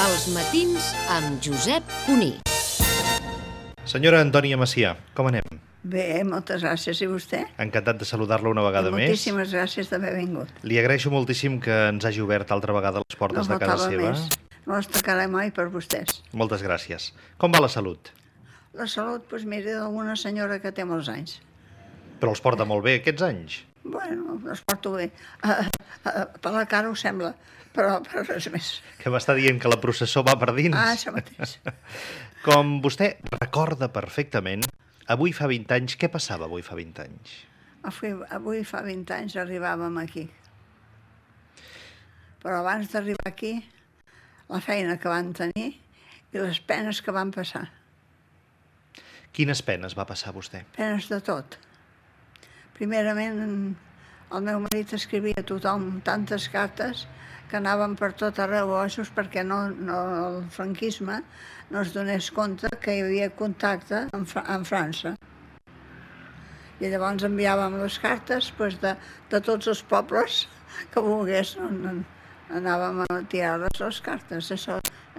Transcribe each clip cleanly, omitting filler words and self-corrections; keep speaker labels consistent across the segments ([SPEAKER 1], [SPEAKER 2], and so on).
[SPEAKER 1] Els matins amb Josep Cuní.
[SPEAKER 2] Senyora Antònia Macià, com anem?
[SPEAKER 3] Bé, moltes gràcies. I vostè?
[SPEAKER 2] Encantat de saludar-la una vegada més.
[SPEAKER 3] Moltíssimes gràcies d'haver vingut.
[SPEAKER 2] Li agraeixo moltíssim que ens hagi obert altra vegada les portes de casa seva.
[SPEAKER 3] No les tacaré mai per vostès.
[SPEAKER 2] Moltes gràcies. Com va la salut?
[SPEAKER 3] La salut, doncs mira, d'alguna senyora que té molts anys.
[SPEAKER 2] Però els porta molt bé aquests anys.
[SPEAKER 3] Bueno, els porto bé. Per la cara ho sembla, però res més.
[SPEAKER 2] Que m'està dient que la processó va per dins.
[SPEAKER 3] Ah, això mateix.
[SPEAKER 2] Com vostè recorda perfectament, avui fa 20 anys, què passava avui fa 20 anys?
[SPEAKER 3] Avui fa 20 anys arribàvem aquí. Però abans d'arribar aquí, la feina que van tenir i les penes que van passar.
[SPEAKER 2] Quines penes va passar vostè?
[SPEAKER 3] Penes de tot. Primerament, el meu marit escrivia a tothom tantes cartes que anaven per tot arreu ossos perquè el franquisme no es donés compte que hi havia contacte amb França. I llavors enviàvem les cartes de tots els pobles que volgués, anàvem a tirar-les les cartes.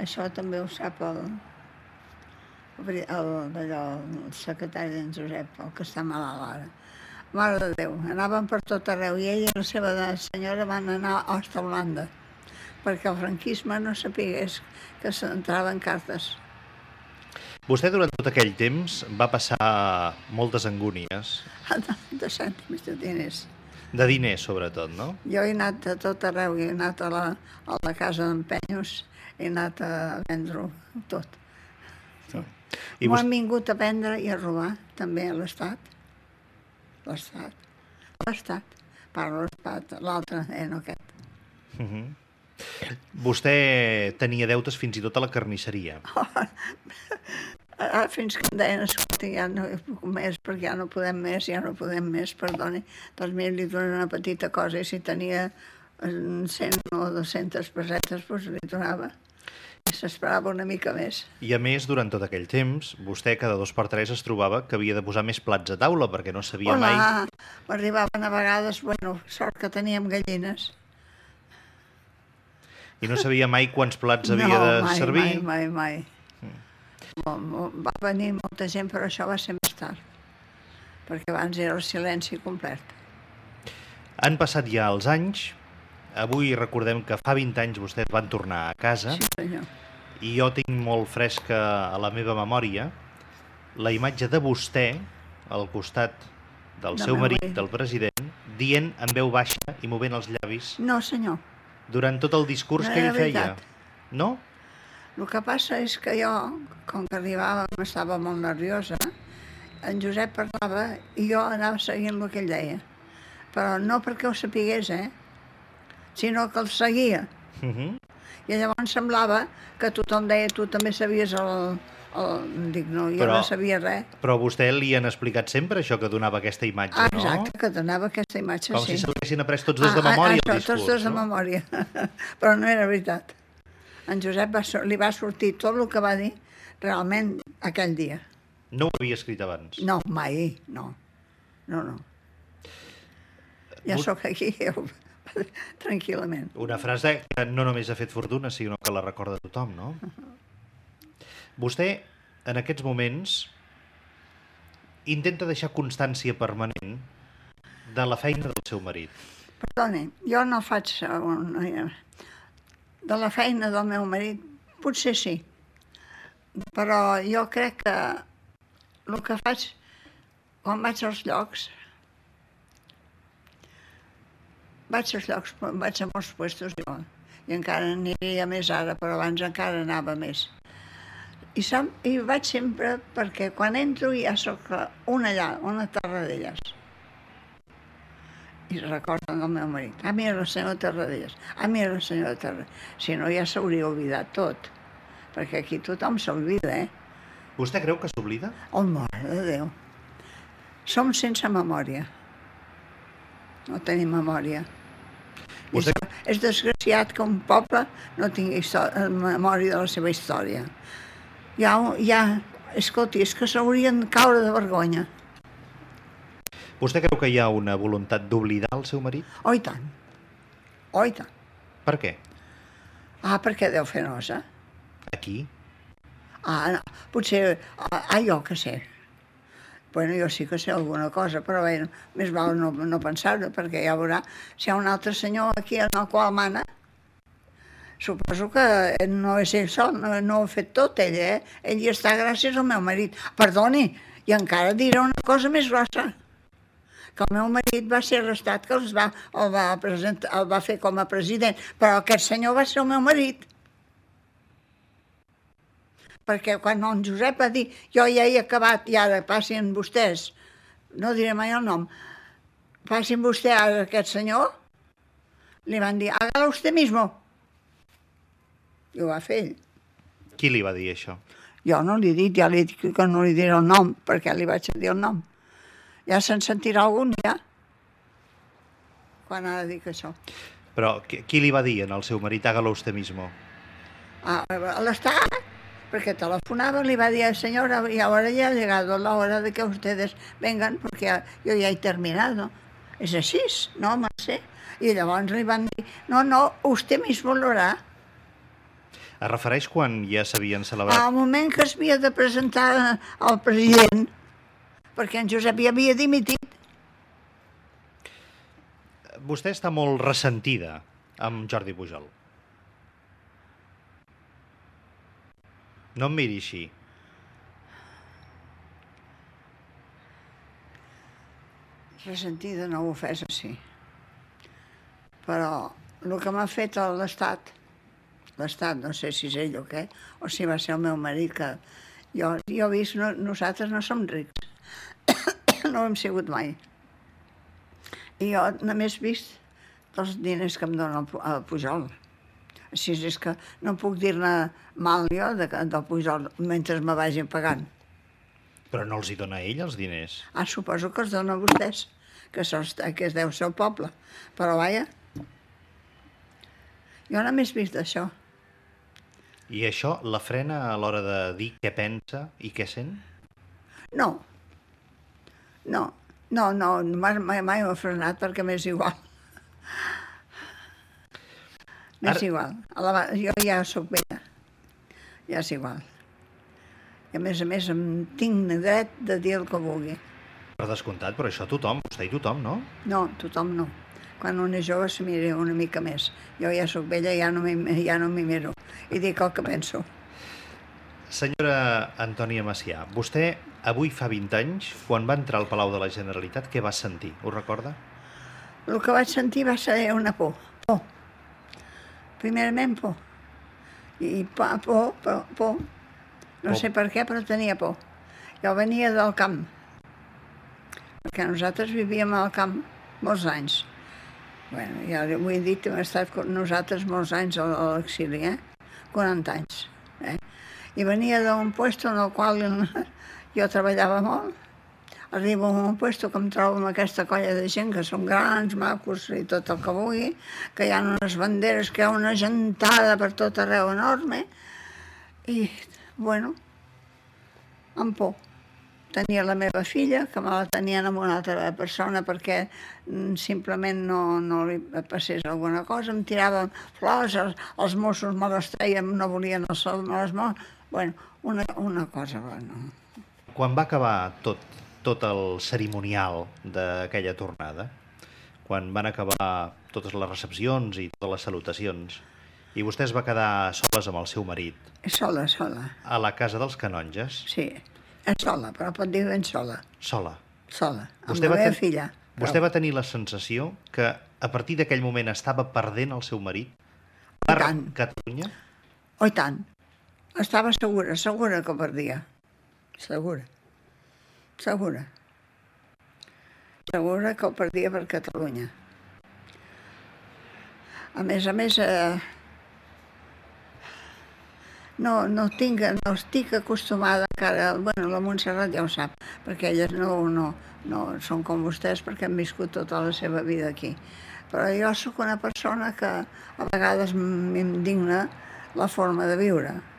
[SPEAKER 3] Això també ho sap el secretari d'en Josep, el que està malalt ara. Mare de Déu, anàvem per tot arreu i ella i la seva senyora van anar a Holanda perquè el franquisme no sapigués que s'entraven cartes.
[SPEAKER 2] Vostè durant tot aquell temps va passar moltes angúnies.
[SPEAKER 3] De cèntims, de diners.
[SPEAKER 2] De diners, sobretot, no?
[SPEAKER 3] Jo he anat a tot arreu, he anat a la casa d'empenyos, he anat a vendre-ho tot. Sí. M'ho han vingut a vendre i a robar, també, a l'Estat. L'Estat. Parlo l'Estat, l'altre, no aquest.
[SPEAKER 2] Vostè tenia deutes fins i tot a la carnisseria.
[SPEAKER 3] Fins que em deien, escolta, ja no puc més, perquè ja no podem més, perdoni. Doncs mira, li dono una petita cosa, i si tenia 100 o 200 pessetes, doncs li donava. I s'esperava una mica més.
[SPEAKER 2] I a més, durant tot aquell temps, vostè cada 2 per 3 es trobava que havia de posar més plats a taula, perquè no sabia mai...
[SPEAKER 3] M'arribaven a vegades, sort que teníem gallines.
[SPEAKER 2] I no sabia mai quants plats havia de servir?
[SPEAKER 3] No, mai. Va venir molta gent, però això va ser més tard, perquè abans era el silenci complet.
[SPEAKER 2] Han passat ja els anys. Avui recordem que fa 20 anys vostès van tornar a casa.
[SPEAKER 3] Sí, senyor.
[SPEAKER 2] I jo tinc molt fresca a la meva memòria la imatge de vostè al costat del seu marit, del president, dient en veu baixa i movent els llavis.
[SPEAKER 3] No, senyor.
[SPEAKER 2] Durant tot el discurs que ell feia. No?
[SPEAKER 3] El que passa és que jo, com que arribàvem, estava molt nerviosa, en Josep parlava i jo anava seguint el que ell deia. Però no perquè ho sapigués, sinó que el seguia. I llavors semblava que tothom deia tu també sabies Dic, no, jo no sabia res.
[SPEAKER 2] Però a vostè li han explicat sempre això, que donava aquesta imatge, no?
[SPEAKER 3] Exacte, que donava aquesta imatge, sí.
[SPEAKER 2] Com si se l'haguessin après tots dos de memòria, el discurs,
[SPEAKER 3] tots dos de memòria. Però no era veritat. En Josep li va sortir tot el que va dir realment aquell dia.
[SPEAKER 2] No ho havia escrit abans?
[SPEAKER 3] No, mai, no. Ja sóc aquí, tranquil·lament.
[SPEAKER 2] Una frase que no només ha fet fortuna, sinó que la recorda tothom, no? Vostè, en aquests moments, intenta deixar constància permanent de la feina del seu marit.
[SPEAKER 3] Perdoni, jo no faig... De la feina del meu marit, potser sí. Però jo crec que el que faig, quan vaig als llocs, vaig a molts puestos jo, i encara aniria més ara, però abans encara anava més. I vaig sempre perquè quan entro ja soc una allà, una Tarradellas. I recorden el meu marit. Mira la senyora Tarradellas. Mira la senyora Tarradellas. Si no, ja s'hauria oblidat tot. Perquè aquí tothom s'oblida,
[SPEAKER 2] Vostè creu que s'oblida?
[SPEAKER 3] Oh, mare de Déu. Som sense memòria. No tenim memòria. És desgraciat que un poble no tingui memòria de la seva història. Escolti, és que s'haurien de caure de vergonya.
[SPEAKER 2] Vostè creu que hi ha una voluntat d'oblidar el seu marit?
[SPEAKER 3] Oh, i tant. Oh, i tant.
[SPEAKER 2] Per què?
[SPEAKER 3] Perquè deu fer nosa.
[SPEAKER 2] Aquí?
[SPEAKER 3] No, potser... jo què sé. Bueno, jo sí que sé alguna cosa, però bé, més val no pensar-ho, perquè ja veurà, si hi ha un altre senyor aquí en el qual mana, suposo que no és ell sol, no ho ha fet tot ell, Ell hi està gràcies al meu marit. Perdoni, i encara diré una cosa més grossa, que el meu marit va ser arrestat, que el va fer com a president, però aquest senyor va ser el meu marit. Perquè quan el Josep va dir jo ja he acabat i ara passin vostès, no diré mai el nom, passin vostè a aquest senyor, li van dir, hágalo usted mismo. I ho va fer ell.
[SPEAKER 2] Qui li va dir això?
[SPEAKER 3] Jo no li he dit, ja li he dit que no li diré el nom, perquè li vaig dir el nom. Ja se'n sentirà algun, ja, quan ha de dir que això.
[SPEAKER 2] Però qui li va dir en el seu marit, hágalo usted mismo?
[SPEAKER 3] A l'Estat, porque telefonaba, le iba a decir, señora, y ahora ya ha llegado la hora de que ustedes vengan, porque yo ya he terminado. És així, no me sé. I llavors li van dir, no, usted mismo lo hará.
[SPEAKER 2] Es refereix quan ja s'havien celebrat?
[SPEAKER 3] Al moment que es havia de presentar al president, perquè en Josep ja havia dimitit.
[SPEAKER 2] Vostè està molt ressentida amb Jordi Pujol. No em miri així.
[SPEAKER 3] Ressentida, no ofesa, sí. Però el que m'ha fet l'Estat, no sé si és ell o què, o si va ser el meu marit, que jo he vist, nosaltres no som rics, no ho hem sigut mai. I jo només he vist els diners que em dona el Pujol. Així és que no puc dir-ne mal jo del Pujol mentre me vagin pagant.
[SPEAKER 2] Però no els hi dona ell, els diners?
[SPEAKER 3] Suposo que els dona a vostès, que es deu ser el poble. Però vaja, jo només he vist això.
[SPEAKER 2] I això la frena a l'hora de dir què pensa i què sent?
[SPEAKER 3] No, mai m'ha frenat perquè m'és igual. M'és igual. Jo ja soc vella, ja és igual. I a més em tinc dret de dir el que vulgui.
[SPEAKER 2] Per descomptat, però això tothom, vostè i tothom, no?
[SPEAKER 3] No, tothom no. Quan un és jove se mira una mica més. Jo ja soc vella, ja no m'hi miro. I dic el que penso.
[SPEAKER 2] Senyora Antònia Macià, vostè avui fa 20 anys, quan va entrar al Palau de la Generalitat, què va sentir? Ho recorda?
[SPEAKER 3] El que vaig sentir va ser una por. Primerament por. I por. No sé per què, però tenia por. Jo venia del camp, perquè nosaltres vivíem al camp molts anys. Bé, ja ho he dit, hem estat nosaltres molts anys a l'exili, 40 anys. I venia d'un lloc en el qual jo treballava molt. Arribo a un lloc que em trobo amb aquesta colla de gent que són grans, macos i tot el que vulgui, que hi ha unes banderes, que hi ha una gentada per tot arreu enorme. I, bueno, amb por. Tenia la meva filla, que me la tenien amb una altra persona perquè simplement no li passés alguna cosa. Em tiraven flors, els Mossos me les treien, no volien les mossos. Bueno, una cosa, bueno.
[SPEAKER 2] Quan va acabar tot el cerimonial d'aquella tornada, quan van acabar totes les recepcions i totes les salutacions, i vostè es va quedar soles amb el seu marit.
[SPEAKER 3] Sola.
[SPEAKER 2] A la casa dels canonges?
[SPEAKER 3] Sí, sola, però pot dir ben sola.
[SPEAKER 2] Sola?
[SPEAKER 3] Sola, amb la meva filla.
[SPEAKER 2] Vostè va tenir la sensació que a partir d'aquell moment estava perdent el seu marit per Catalunya?
[SPEAKER 3] Oh, i tant. Estava segura que perdia. Segura que ho perdia per Catalunya. A més, no estic acostumada encara, bueno, la Montserrat ja ho sap, perquè elles no són com vostès perquè han viscut tota la seva vida aquí. Però jo sóc una persona que a vegades m'indigna la forma de viure.